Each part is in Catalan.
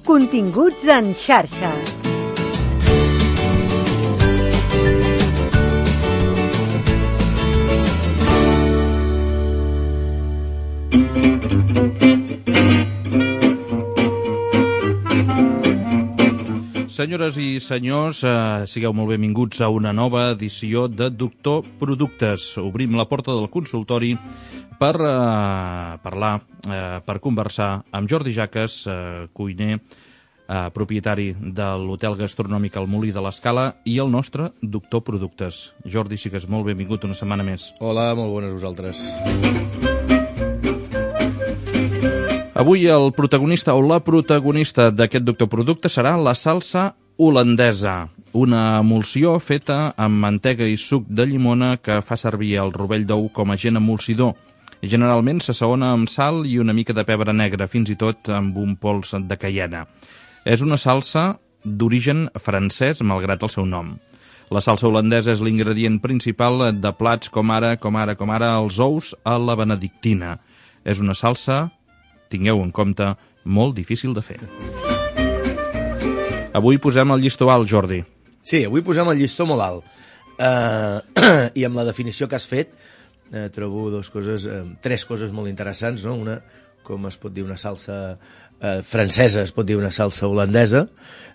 Continguts en xarxa. Senyores i senyors, sigueu molt benvinguts a una nova edició de Doctor Productes. Obrim la porta del consultori per parlar, per conversar amb Jordi Jaques, cuiner, propietari de l'hotel gastronòmic El Molí de l'Escala i el nostre Doctor Productes. Jordi, sigues molt benvingut una setmana més. Hola, molt bones vosaltres. Avui el protagonista o la protagonista d'aquest Doctor Producte serà la salsa holandesa, una emulsió feta amb mantega i suc de llimona que fa servir el rovell d'ou com a agent emulsidor. Generalment s'assaona amb sal i una mica de pebre negre, fins i tot amb un pols de caiena. És una salsa d'origen francès, malgrat el seu nom. La salsa holandesa és l'ingredient principal de plats com ara els ous a la benedictina. És una salsa, tingueu en compte, molt difícil de fer. Avui posem el llistó alt, Jordi. Sí, avui posem el llistó molt alt. I amb la definició que has fet, trobo tres coses molt interessants, no? Una, com es pot dir una salsa francesa, es pot dir una salsa holandesa,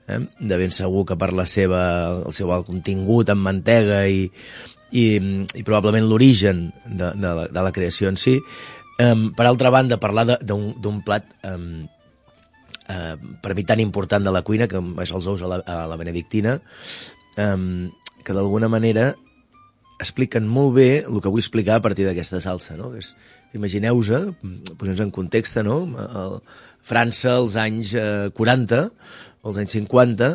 de ben segur que per el seu alt contingut en mantega i probablement l'origen de la creació en si. Per altra banda, parlar d'un plat per mi tan important de la cuina, que és els ous a la benedictina, que d'alguna manera expliquen molt bé el que vull explicar a partir d'aquesta salsa, no? Imagineu-vos, posem-nos en context, no? França, als anys 40, als anys 50,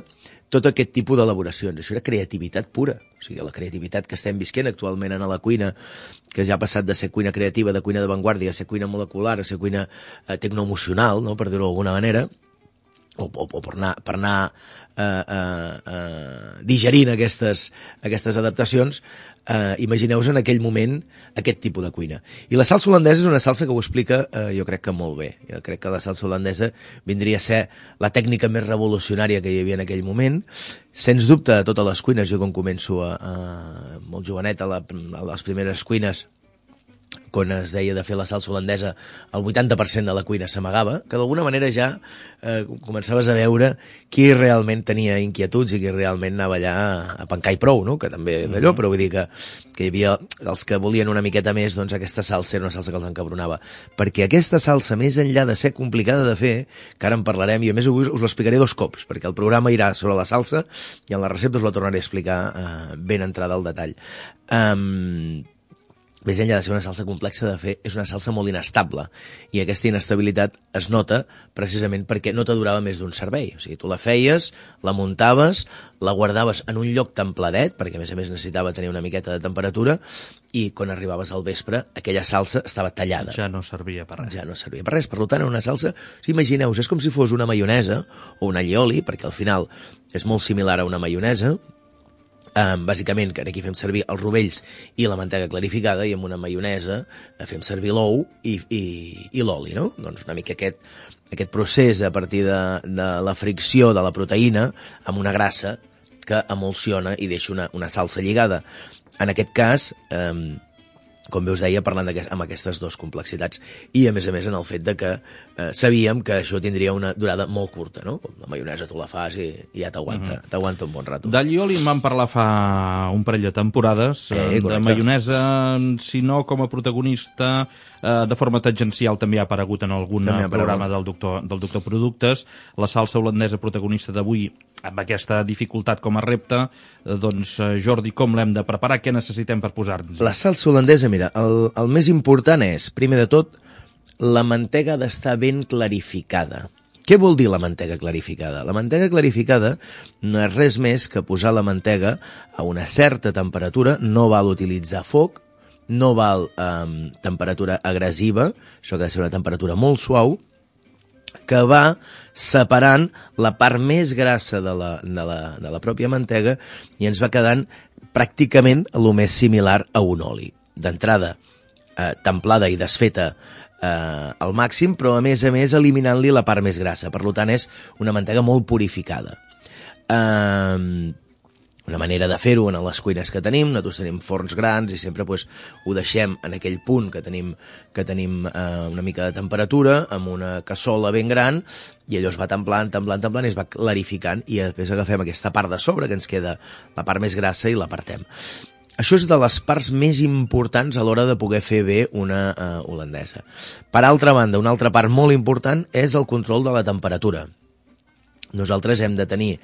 tot aquest tipus d'elaboracions. Això era creativitat pura. O sigui, la creativitat que estem visquent actualment en la cuina, que ja ha passat de ser cuina creativa, de cuina d'avantguàrdia, a ser cuina molecular, a ser cuina tecnoemocional, no? Per dir-ho d'alguna manera, o per anar digerint aquestes adaptacions. Imagineu-vos en aquell moment aquest tipus de cuina. I la salsa holandesa és una salsa que ho explica, jo crec que molt bé. Jo crec que la salsa holandesa vindria a ser la tècnica més revolucionària que hi havia en aquell moment. Sens dubte, a totes les cuines, jo quan començo molt jovenet a les primeres cuines, quan es deia de fer la salsa holandesa, el 80% de la cuina s'amagava, que d'alguna manera ja començaves a veure qui realment tenia inquietuds i qui realment anava allà a pencar i prou, no? Que també d'allò, però vull dir que hi havia els que volien una miqueta més, doncs aquesta salsa era una salsa que els encabronava. Perquè aquesta salsa, més enllà de ser complicada de fer, que ara en parlarem, i a més us l'explicaré 2 cops, perquè el programa irà sobre la salsa i en la recepta us la tornaré a explicar ben entrada al detall. Més enllà de ser una salsa complexa de fer, és una salsa molt inestable. I aquesta inestabilitat es nota precisament perquè no t'adurava més d'un servei. O sigui, tu la feies, la muntaves, la guardaves en un lloc templadet, perquè a més necessitava tenir una miqueta de temperatura, i quan arribaves al vespre, aquella salsa estava tallada. Ja no servia per res. Ja no servia per res. Per tant, una salsa, imagineu-vos, és com si fos una maionesa o un allioli, perquè al final és molt similar a una maionesa. Bàsicament, que aquí fem servir els rovells i la mantega clarificada, i amb una maionesa fem servir l'ou i l'oli, no? Doncs una mica aquest procés a partir de la fricció de la proteïna amb una grassa que emulsiona i deixa una salsa lligada. En aquest cas, com bé us deia, parlant amb aquestes 2 complexitats, i a més en el fet de que sabíem que això tindria una durada molt curta, no? Com la maionesa tu la fas i ja t'aguanta un bon rato. D'allioli en vam parlar fa un parell de temporades, de maionesa, si no com a protagonista, de forma tangencial també ha aparegut en algun programa del Doctor Productes. La salsa holandesa protagonista d'avui, amb aquesta dificultat com a repte, doncs Jordi, com l'hem de preparar? Què necessitem per posar-nos? La salsa holandesa, mira, el més important és, primer de tot, la mantega ha d'estar ben clarificada. Què vol dir la mantega clarificada? La mantega clarificada no és res més que posar la mantega a una certa temperatura, no val utilitzar foc, no val temperatura agressiva, això que ha de ser una temperatura molt suau, que va separant la part més grassa de la pròpia mantega i ens va quedant pràcticament el més similar a un oli. D'entrada, templada i desfeta al màxim, però a més eliminant-li la part més grassa. Per tant, és una mantega molt purificada. Una manera de fer-ho en les cuines que tenim, nosaltres tenim forns grans i sempre pues, ho deixem en aquell punt que tenim una mica de temperatura, amb una cassola ben gran, i allò es va templant i es va clarificant, i després agafem aquesta part de sobre, que ens queda la part més grassa, i l'apartem. Això és de les parts més importants a l'hora de poder fer bé una holandesa. Per altra banda, una altra part molt important és el control de la temperatura. Nosaltres hem de tenir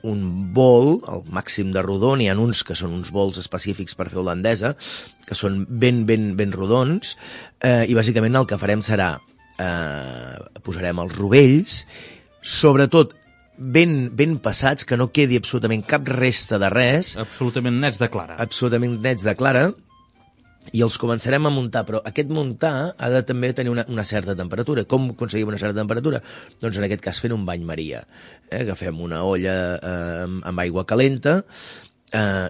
un bol, el màxim de rodó, n'hi ha uns que són uns bols específics per fer holandesa, que són ben rodons, i bàsicament el que farem serà, posarem els rovells, sobretot ben passats, que no quedi absolutament cap resta de res. Absolutament nets de clara. Absolutament nets de clara, i els començarem a muntar, però aquest muntar ha de també tenir una certa temperatura. Com aconseguim una certa temperatura? Doncs en aquest cas fent un bany maria. Agafem una olla amb aigua calenta,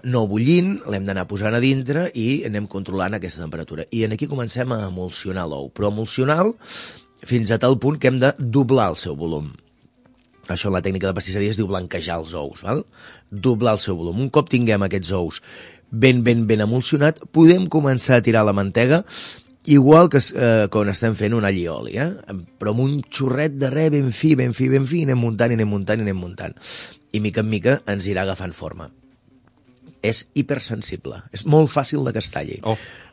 no bullint, l'hem d'anar posant a dintre i anem controlant aquesta temperatura. I aquí comencem a emulsionar l'ou, però emulsionar fins a tal punt que hem de doblar el seu volum. Això en la tècnica de pastisseria es diu blanquejar els ous, val? Doblar el seu volum. Un cop tinguem aquests ous ben emulsionat, podem començar a tirar la mantega igual que quan estem fent un allioli, però amb un xorret de res ben fi, i anem muntant. I mica en mica ens irà agafant forma. És hipersensible, és molt fàcil de que es talli.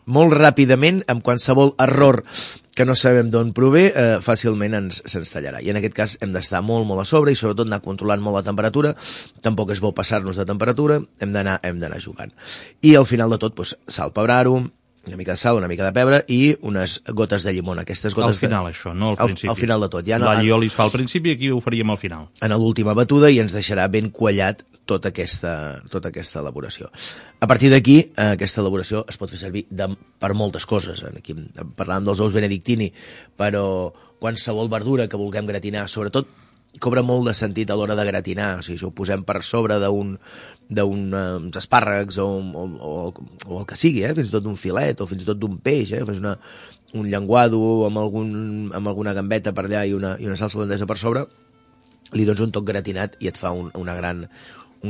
Molt ràpidament, amb qualsevol error que no sabem d'on prové, fàcilment se'ns tallarà. I en aquest cas hem d'estar molt a sobre i sobretot anar controlant molt la temperatura. Tampoc és bo passar-nos de temperatura, hem d'anar jugant. I al final de tot, sal, pebrar-ho, una mica de sal, una mica de pebre i unes gotes de llimona. Al final, això, no al principi. Al final de tot. L'allioli es fa al principi i aquí ho faríem al final. En l'última batuda, i ens deixarà ben quallat tota aquesta elaboració. A partir d'aquí, aquesta elaboració es pot fer servir per moltes coses. Aquí parlàvem dels ous benedictini, però qualsevol verdura que vulguem gratinar, sobretot cobra molt de sentit a l'hora de gratinar. O sigui, si ho posem per sobre d'uns espàrrecs o el que sigui, fins i tot d'un filet o fins i tot d'un peix, fes un llenguado amb alguna gambeta per allà i una salsa holandesa per sobre, li dones un toc gratinat i et fa un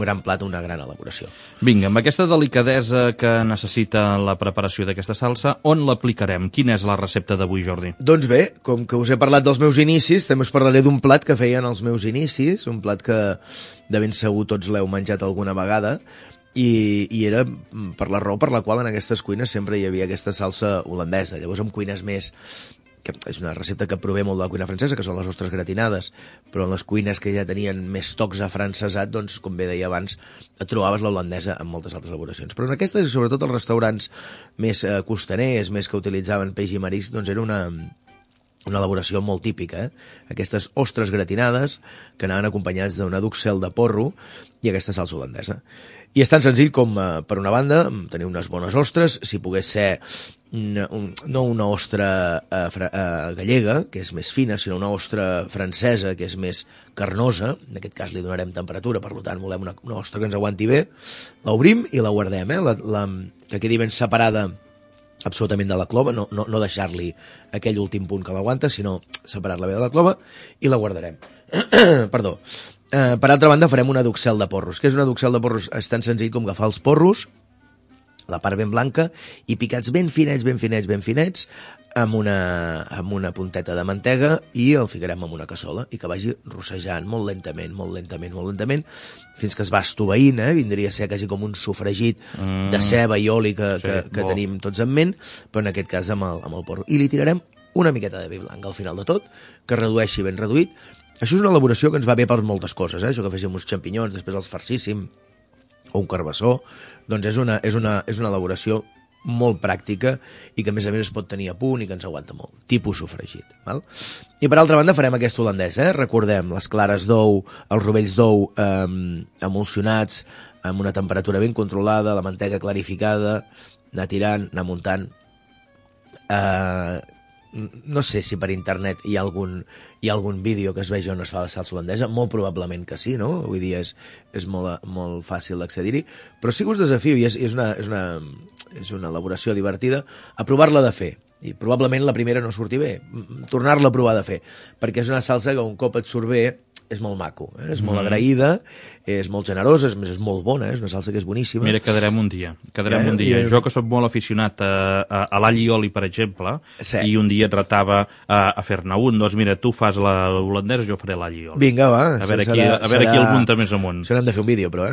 gran plat, una gran elaboració. Vinga, amb aquesta delicadesa que necessita la preparació d'aquesta salsa, on l'aplicarem? Quina és la recepta d'avui, Jordi? Doncs bé, com que us he parlat dels meus inicis, també us parlaré d'un plat que feien els meus inicis, un plat que de ben segur tots l'heu menjat alguna vegada, i era per la raó per la qual en aquestes cuines sempre hi havia aquesta salsa holandesa. Llavors, en cuines més que és una recepta que prové molt de la cuina francesa, que són les ostres gratinades, però en les cuines que ja tenien més tocs afrancesat, doncs, com bé deia abans, trobaves la holandesa en moltes altres elaboracions. Però en aquestes, sobretot els restaurants més costaners, més que utilitzaven peix i marisc, doncs era una elaboració molt típica, Aquestes ostres gratinades que anaven acompanyats d'una duxel de porro i aquesta salsa holandesa. I és tan senzill com, per una banda, tenir unes bones ostres, si pogués ser no una ostra gallega, que és més fina, sinó una ostra francesa, que és més carnosa. En aquest cas li donarem temperatura, per tant volem una ostra que ens aguanti bé. L'obrim i la guardem, que quedi ben separada absolutament de la clova, no deixar-li aquell últim punt que l'aguanta, sinó separar-la bé de la clova, i la guardarem. Perdó. Per altra banda, farem una duxel de porros. Què és una duxel de porros? És tan senzill com agafar els porros, la part ben blanca, i picats ben finets, amb una punteta de mantega, i el ficarem en una cassola, i que vagi rossejant molt lentament, fins que es va estoveint, vindria a ser quasi com un sofregit de ceba i oli que tenim tots en ment, però en aquest cas amb el porro. I li tirarem una miqueta de vi blanc al final de tot, que redueixi ben reduït. Això és una elaboració que ens va bé per moltes coses, Això que féssim uns xampinyons, després els farcíssim, o un carbassó, doncs és una elaboració molt pràctica i que a més es pot tenir a punt i que ens aguanta molt, tipus sofregit. Val? I per altra banda farem aquest holandès, recordem, les clares d'ou, els rovells d'ou emulsionats amb una temperatura ben controlada, la mantega clarificada, anar tirant, anar muntant. No sé si per internet hi ha algun vídeo que es vegi on es fa la salsa holandesa, molt probablement que sí, no? Avui dia és molt fàcil d'accedir-hi, però sí que us desafio, i és una elaboració divertida, a provar-la de fer. i probablement la primera no surti bé. Tornar-la a provar de fer, perquè és una salsa que un cop et surt bé és molt maco, és molt agraïda, és molt generosa, és molt bona, és una salsa que és boníssima. Mira, quedarem un dia. Jo que soc molt aficionat a l'all i oli, per exemple, i un dia et retava a fer-ne un, doncs mira, tu fas la holandesa, jo faré l'all i oli. Vinga, va. A veure qui el munta més amunt. Això n'hem de fer un vídeo, però,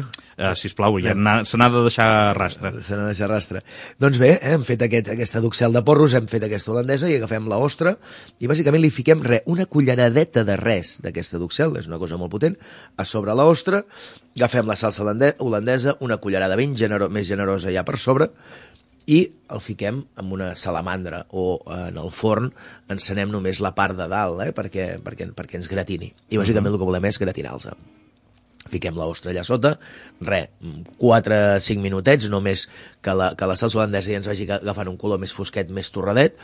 sisplau, se n'ha de deixar rastre. Se n'ha de deixar rastre. Doncs bé, hem fet aquesta duxel de porros, hem fet aquesta holandesa i agafem l'ostra i bàsicament li fiquem una culleradeta de res d'aquesta duxel, és una cosa molt potent, a sobre l'ostra, agafem la salsa holandesa, una cullerada més generosa ja per sobre, i el fiquem en una salamandra o en el forn, encenem només la part de dalt, perquè ens gratini. I bàsicament el que volem és gratinar-los. Fiquem l'ostra allà sota, 4-5 minutets, només que la salsa holandesa ja ens vagi agafant un color més fosquet, més torradet.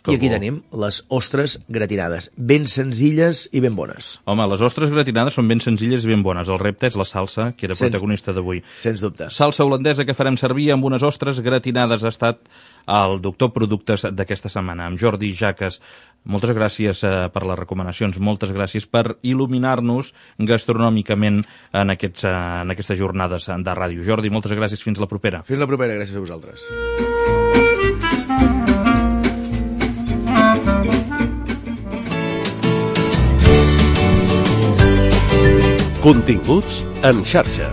I aquí tenim les ostres gratinades, ben senzilles i ben bones. Home, les ostres gratinades són ben senzilles i ben bones. El repte és la salsa, que era protagonista d'avui. Sens dubte. Salsa holandesa que farem servir amb unes ostres gratinades. Ha estat el doctor Productes d'aquesta setmana, amb Jordi Jaques. Moltes gràcies per les recomanacions, moltes gràcies per il·luminar-nos gastronòmicament en aquestes jornades de ràdio. Jordi, moltes gràcies. Fins la propera. Fins la propera, gràcies a vosaltres. Continguts en xarxa.